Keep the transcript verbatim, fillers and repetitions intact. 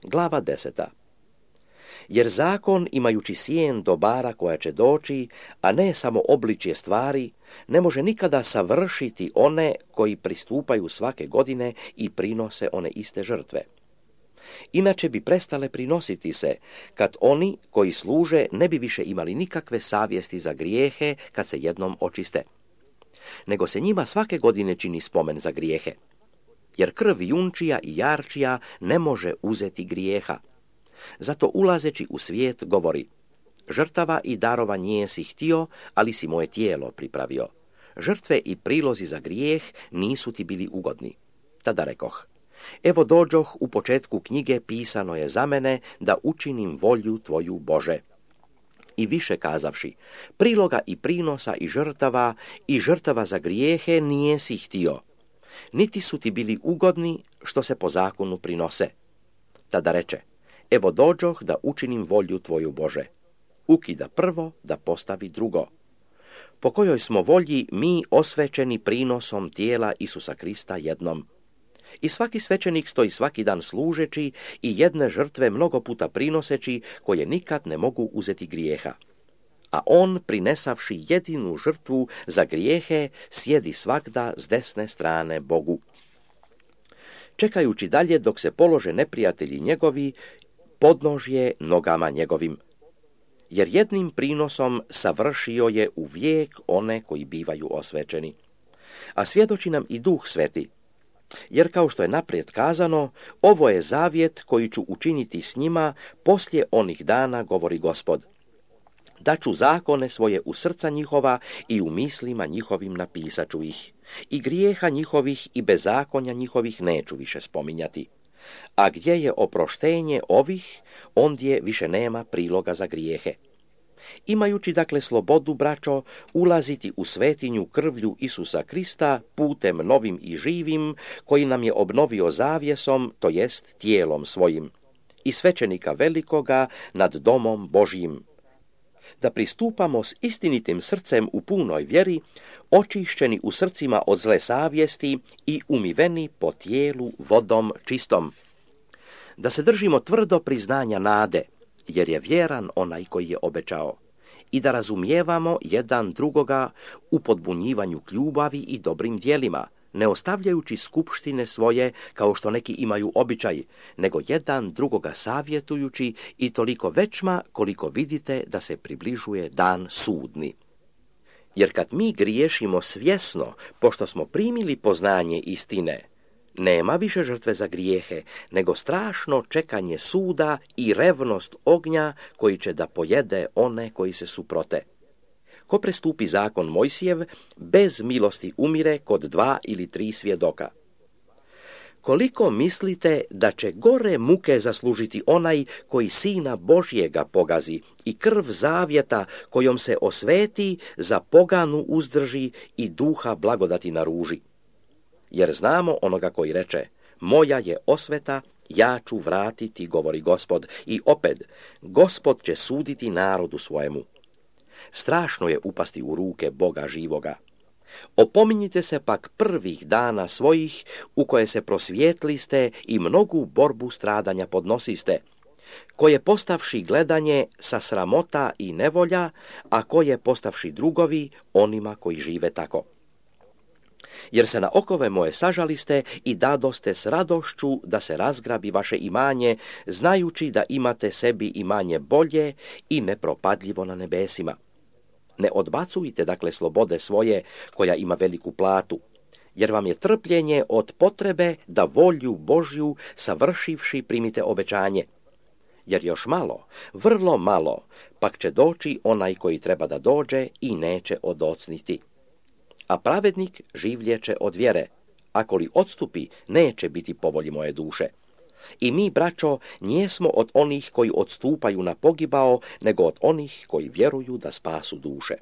Glava deseta. Jer zakon, imajući sjen dobara koja će doći, a ne samo obličje stvari, ne može nikada savršiti one koji pristupaju svake godine i prinose one iste žrtve. Inače bi prestale prinositi se, kad oni koji služe ne bi više imali nikakve savjesti za grijehe kad se jednom očiste. Nego se njima svake godine čini spomen za grijehe. Jer krv junčija i jarčija ne može uzeti grijeha. Zato ulazeći u svijet govori: žrtava i darova nijesi htio, ali si moje tijelo pripravio. Žrtve i prilozi za grijeh nisu ti bili ugodni. Tada rekoh: evo dođoh, u početku knjige pisano je za mene da učinim volju tvoju, Bože. I više kazavši: priloga i prinosa i žrtava i žrtava za grijehe nijesi htio, niti su ti bili ugodni što se po zakonu prinose. Tada reče: evo dođoh da učinim volju tvoju, Bože. Ukida prvo da postavi drugo. Po kojoj smo volji mi osvećeni prinosom tijela Isusa Krista jednom. I svaki svećenik stoji svaki dan služeći i jedne žrtve mnogo puta prinoseći, koje nikad ne mogu uzeti grijeha. A on, prinesavši jedinu žrtvu za grijehe, sjedi svagda s desne strane Bogu. Čekajući dalje dok se polože neprijatelji njegovi, podnožje nogama njegovim. Jer jednim prinosom savršio je u vijek one koji bivaju osvećeni. A svjedoči nam i Duh Sveti. Jer kao što je naprijed kazano, ovo je zavjet koji ću učiniti s njima poslije onih dana, govori Gospod. Daću zakone svoje u srca njihova i u mislima njihovim napisat ću ih. I grijeha njihovih i bezakonja njihovih neću više spominjati. A gdje je oproštenje ovih, ondje više nema priloga za grijehe. Imajući dakle slobodu, braćo, ulaziti u svetinju krvlju Isusa Krista putem novim i živim, koji nam je obnovio zavjesom, to jest tijelom svojim, i svećenika velikoga nad domom Božjim. Da pristupamo s istinitim srcem u punoj vjeri, očišćeni u srcima od zle savjesti i umiveni po tijelu vodom čistom. Da se držimo tvrdo priznanja nade, jer je vjeran onaj koji je obećao, i da razumijevamo jedan drugoga u podbunjivanju k ljubavi i dobrim djelima, ne ostavljajući skupštine svoje kao što neki imaju običaj, nego jedan drugoga savjetujući, i toliko većma koliko vidite da se približuje dan sudni. Jer kad mi griješimo svjesno, pošto smo primili poznanje istine, nema više žrtve za grijehe, nego strašno čekanje suda i revnost ognja koji će da pojede one koji se suprote. Ko prestupi zakon Mojsijev, bez milosti umire kod dva ili tri svjedoka. Koliko mislite da će gore muke zaslužiti onaj koji Sina Božjega pogazi i krv zavjeta kojom se osveti za poganu uzdrži i duha blagodati naruži? Jer znamo onoga koji reče: moja je osveta, ja ću vratiti, govori Gospod, i opet, Gospod će suditi narodu svojemu. Strašno je upasti u ruke Boga živoga. Opominjite se pak prvih dana svojih, u koje se prosvjetliste i mnogu borbu stradanja podnosiste, koje postavši gledanje sa sramota i nevolja, a koje postavši drugovi onima koji žive tako. Jer se na okove moje sažaliste i dadoste s radošću da se razgrabi vaše imanje, znajući da imate sebi imanje bolje i nepropadljivo na nebesima. Ne odbacujte dakle slobode svoje, koja ima veliku platu, jer vam je trpljenje od potrebe da volju Božju savršivši primite obećanje. Jer još malo, vrlo malo, pak će doći onaj koji treba da dođe i neće odocniti. A pravednik življeće od vjere, ako li odstupi, neće biti po volji moje duše. I mi, braćo, nijesmo od onih koji odstupaju na pogibao, nego od onih koji vjeruju da spasu duše.